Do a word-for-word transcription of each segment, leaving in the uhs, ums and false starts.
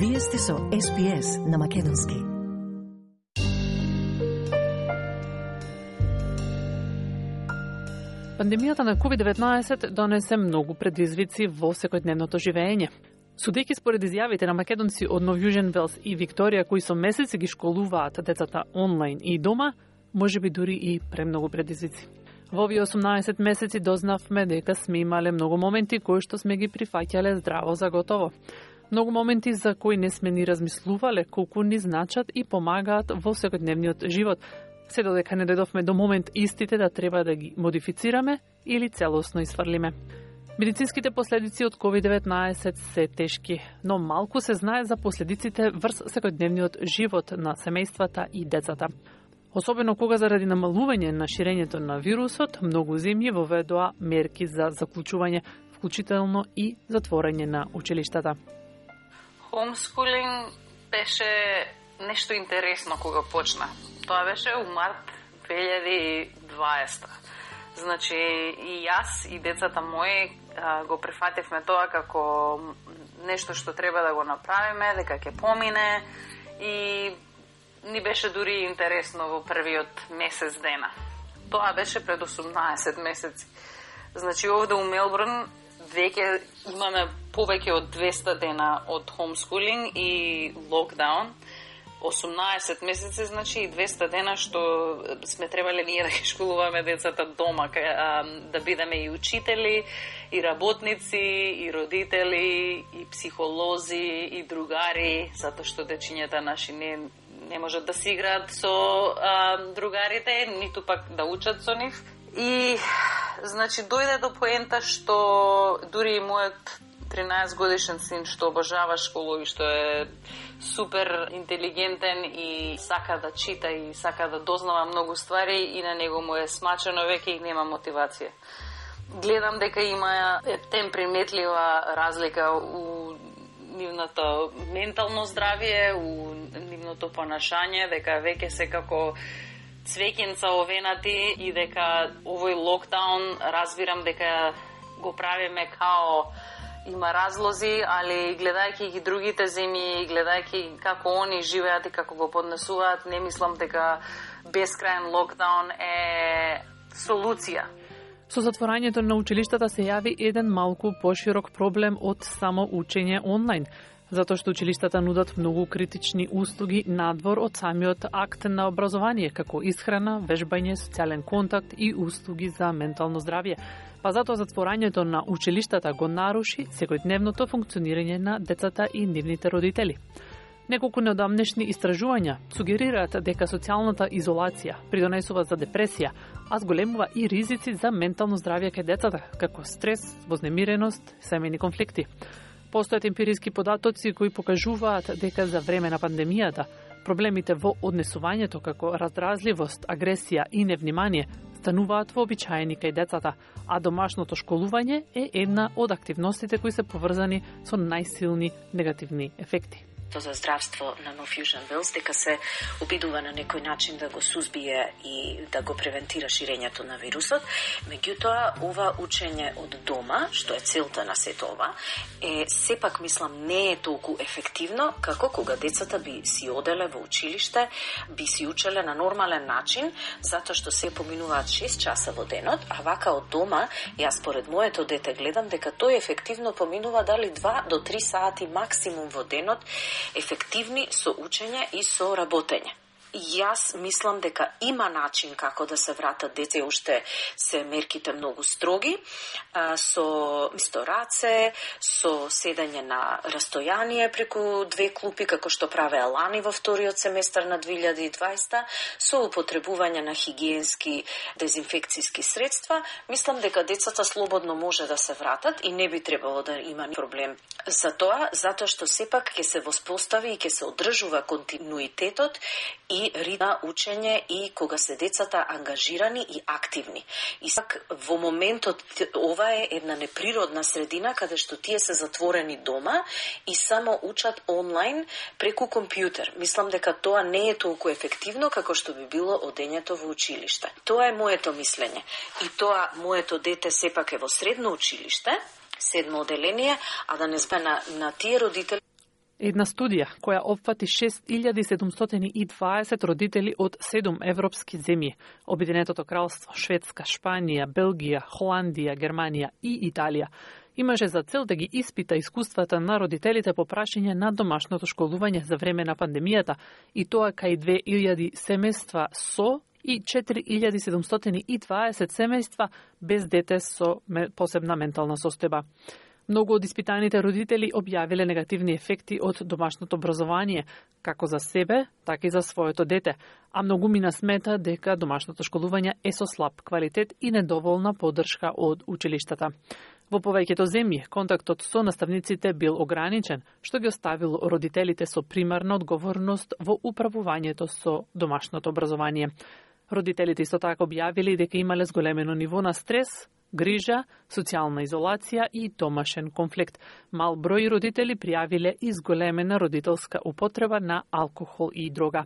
Вие сте со Ес Би Ес на македонски. Пандемијата на ковид деветнаесет донесе многу предизвици во секојдневното живење. Судејќи според изјавите на македонци од Нов Јужен Велс и Викторија, кои со месеци ги школуваат децата онлайн и дома, можеби дури и премногу предизвици. Во овие осумнаесет месеци дознавме дека сме имале многу моменти кои што сме ги прифаќале здраво за готово. Многу моменти за кои не сме ни размислувале колку ни значат и помагаат во секојдневниот живот, се додека не дојдовме до момент истите да треба да ги модифицираме или целосно изфрлиме. Медицинските последици од ковид деветнаесет се тешки, но малку се знае за последиците врз секојдневниот живот на семејствата и децата. Особено кога заради намалување на ширењето на вирусот, многу земји воведоа мерки за заклучување, вклучително и затворање на училиштата. Homeschooling беше нешто интересно кога почна. Тоа беше у март две илјади и дваесета. Значи, и јас и децата мои а, го прифативме тоа како нешто што треба да го направиме, дека ќе помине и ни беше дури интересно во првиот месец дена. Тоа беше пред осумнаесет месеци. Значи, овде у Мелбурн веќе имаме повеќе од двеста дена од homeschooling и локдаун. осумнаесет месеци, значи и двеста дена што сме требале ние да ги школуваме децата дома, да бидеме и учители, и работници, и родители, и психолози, и другари, затоа што дечињата наши не, не можат да си играат со а, другарите, ниту пак да учат со нив. И, значи, дојде до поента што дури и мојот тринаесет годишен син што обожава школа и што е супер интелигентен и сака да чита и сака да дознава многу ствари и на него му е смачено веќе и нема мотивација. Гледам дека има ептен приметлива разлика у нивното ментално здравје, у нивното понашање, дека веќе се како цвеќенца овенати и дека овој локдаун разбирам дека го правиме као има разлози, али гледајќи ги другите земји, гледајќи како они живеат и како го поднесуваат, не мислам дека бескрајен локдаун е солуција. Со затворањето на училиштата се јави еден малку поширок проблем од само учење онлайн, затоа што училиштата нудат многу критични услуги надвор од самиот акт на образование, како исхрана, вежбање, социјален контакт и услуги за ментално здравје. Па затоа затворањето на училиштата го наруши секојдневното функционирање на децата и нивните родители. Неколку неодамнешни истражувања сугерираат дека социјалната изолација придонесува за депресија, а зголемува и ризици за ментално здравје кај децата, како стрес, вознемиреност, семејни конфликти. Постојат емпириски податоци кои покажуваат дека за време на пандемијата проблемите во однесувањето како раздразливост, агресија и невнимание стануваат вообичаени кај децата, а домашното школување е една од активностите кои се поврзани со најсилни негативни ефекти. За здравство на Нов Јужен Велс дека се обидува на некој начин да го сузбие и да го превентира ширењето на вирусот. Меѓутоа, ова учење од дома, што е целта на сето ова, е сепак мислам не е толку ефективно како кога децата би си оделе во училиште, би си учеле на нормален начин, затоа што се поминуваат шест часа во денот, а вака од дома, јас според моето дете гледам дека тој ефективно поминува дали два до три сати максимум во денот, ефективни со учење и со работење. Јас мислам дека има начин како да се вратат деца, уште се мерките многу строги, со исто раце, со седење на растојание преку две клупи, како што праве Алани во вториот семестар на две илјади и дваесета, со употребување на хигиенски дезинфекцијски средства. Мислам дека децата слободно може да се вратат и не би требало да има проблем за тоа, затоа што сепак ќе се воспостави и ќе се одржува континуитетот и ритма учење и кога се децата ангажирани и активни. И сак во моментот ова е една неприродна средина каде што тие се затворени дома и само учат онлайн преку компјутер. Мислам дека тоа не е толку ефективно како што би било одењето во училиште. Тоа е моето мислење. И тоа моето дете сепак е во средно училиште, седмо оделение, а да не збе на, на тие родители. Една студија која опфати шест илјади седумстотини и дваесет родители од седум европски земји, Обединетото кралство, Шведска, Шпанија, Белгија, Холандија, Германија и Италија, имаше за цел да ги испита искуствата на родителите по прашање на домашното школување за време на пандемијата, и тоа кај две илјади семејства со и четири илјади седумстотини и дваесет семејства без дете со посебна ментална состојба. Многу од испитаните родители објавиле негативни ефекти од домашното образование, како за себе, така и за своето дете, а многумина смета дека домашното школување е со слаб квалитет и недоволна поддршка од училиштата. Во повеќето земји, контактот со наставниците бил ограничен, што ги оставило родителите со примарна одговорност во управувањето со домашното образование. Родителите исто така објавили дека имале зголемено ниво на стрес, грижа, социјална изолација и домашен конфликт. Мал број родители пријавиле и зголемена родителска употреба на алкохол и дрога.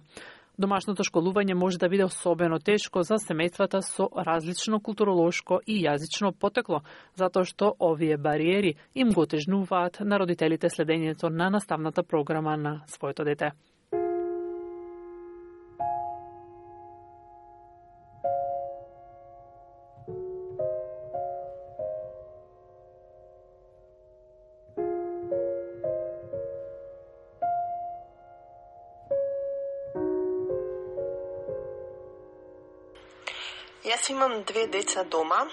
Домашното школување може да биде особено тешко за семејствата со различно културолошко и јазично потекло, затоа што овие бариери им го отежнуваат на родителите следењето на наставната програма на своето дете. Јас имам две деца дома,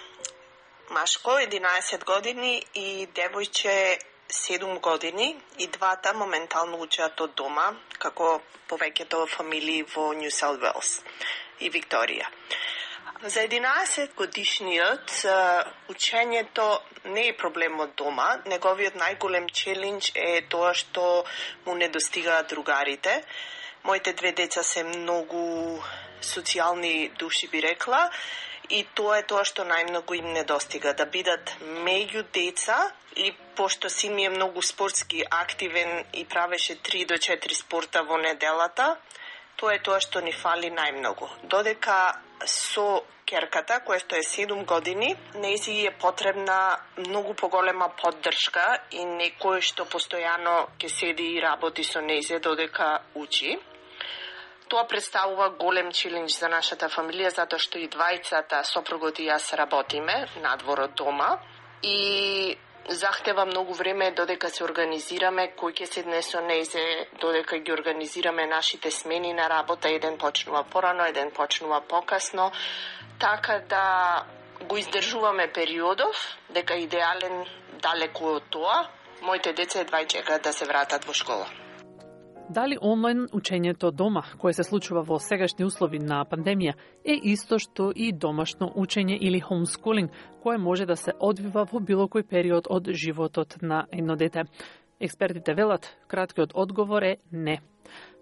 машко единаесет години и девојче седум години, и двата моментално учат од дома, како повеќето фамилии во Нью Саут Велс и Викторија. За единаесет годишниот учењето не е проблем од дома, неговиот најголем челендж е тоа што му недостигаат другарите. Моите две деца се многу социјални души, би рекла, и тоа е тоа што најмногу им недостига, да бидат меѓу деца, и пошто син ми е многу спортски активен и правеше три до четири спорта во неделата, тоа е тоа што ни фали најмногу. Додека со керката, која што е седум години, нејзи е потребна многу поголема поддршка и некој што постојано ќе седи и работи со нејзе додека учи. Тоа представува голем челендж за нашата фамилија, затоа што и двајцата, сопругот и јас, работиме надвор од дома и захтева многу време додека се организираме, кој ќе седне со нејзе, додека ги организираме нашите смени на работа, еден почнува порано, еден почнува покасно, така да го издржуваме периодов, дека идеален далеку од тоа, моите деца едва чекаат да се вратат во школа. Дали онлайн учењето дома, кое се случува во сегашни услови на пандемија, е исто што и домашно учење или homeschooling, кое може да се одвива во било кој период од животот на едно дете? Експертите велат, краткиот одговор е не.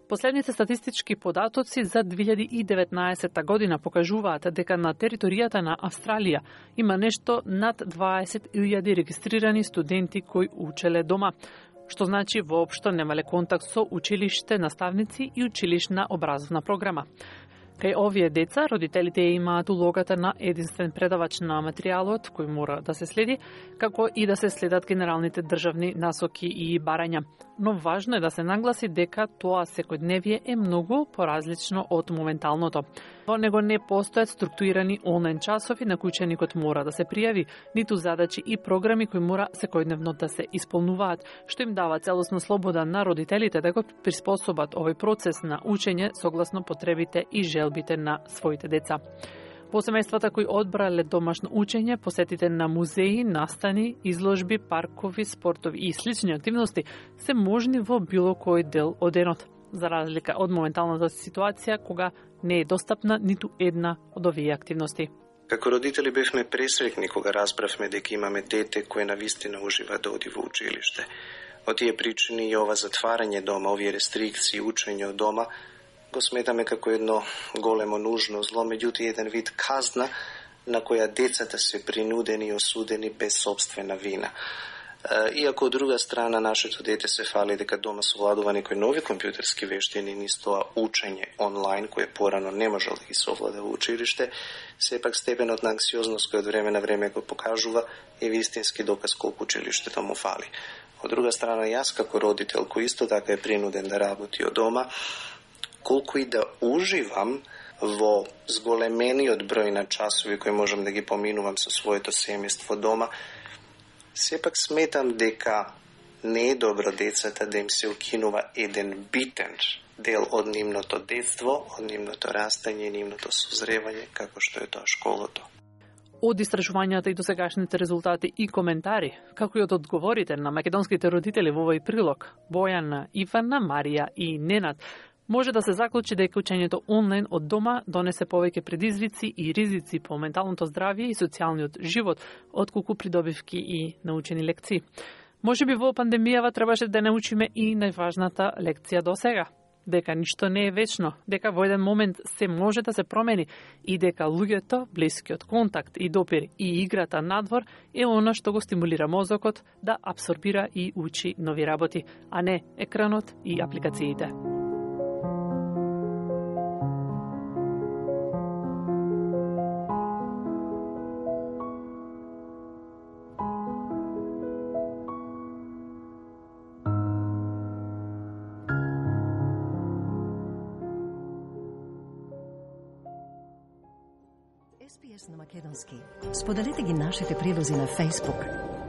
Последните статистички податоци за две илјади и деветнаесетта година покажуваат дека на територијата на Австралија има нешто над дваесет илјади регистрирани студенти кои учеле дома, што значи воопшто немале контакт со училиште, наставници и училишна образовна програма. Кај овие деца, родителите имаат улогата на единствен предавач на материјалот, кој мора да се следи, како и да се следат генералните државни насоки и барања. Но важно е да се нагласи дека тоа секојдневие е многу поразлично од моменталното. Во него не постојат структурирани онлайн часови на кои ученикот мора да се пријави, ниту задачи и програми кои мора секојдневно да се исполнуваат, што им дава целосно слобода на родителите да го приспособат овој процес на учење согласно потребите и желбите на своите деца. Во семејствата кои одбрале домашно учење, посетите на музеи, настани, изложби, паркови, спортови и слични активности се можни во било кој дел од денот, за разлика од моменталната ситуација кога не е достапна ниту една од овие активности. Како родители бевме пресреќни кога разбравме дека имаме дете кое навистина ужива да оди во училиште. Од тие причини и ова затварање дома, овие рестрикции, учење од дома, го сметаме како едно големо нужно зло, меѓутоа еден вид казна на која децата се принудени и осудени без собствена вина. Иако од друга страна нашето дете се фали дека дома совладува некои нови компјутерски вештини, низ тоа учење онлайн, кое порано не можел да ги совлада во училиште, сепак степенот на анксиозност кој од време на време го покажува е вистински доказ колку училиштето му фали. Од друга страна, јас како родител, кој исто така е принуден да работи од дома, колку и да уживам во зголемениот број на часови кои можам да ги поминувам со своето семејство дома, сепак сметам дека не е добро децата да им се укинува еден битен дел од нивното детство, од нивното растање, нивното созревање, како што е тоа школото. Од истражувањата и досегашните резултати и коментари, како и од одговорите на македонските родители во овој прилог, Бојана, Ивана, Марија и Ненад, може да се заклучи дека учењето онлайн од дома донесе повеќе предизвици и ризици по менталното здравје и социјалниот живот, отколку придобивки и научени лекции. Може би во пандемијава требаше да научиме и најважната лекција до сега, дека ништо не е вечно, дека во еден момент се може да се промени и дека луѓето, блискиот контакт и допир и играта надвор е она што го стимулира мозокот да абсорбира и учи нови работи, а не екранот и апликациите. Ес Би Ес на македонски. Споделете ги нашите прилози на Facebook.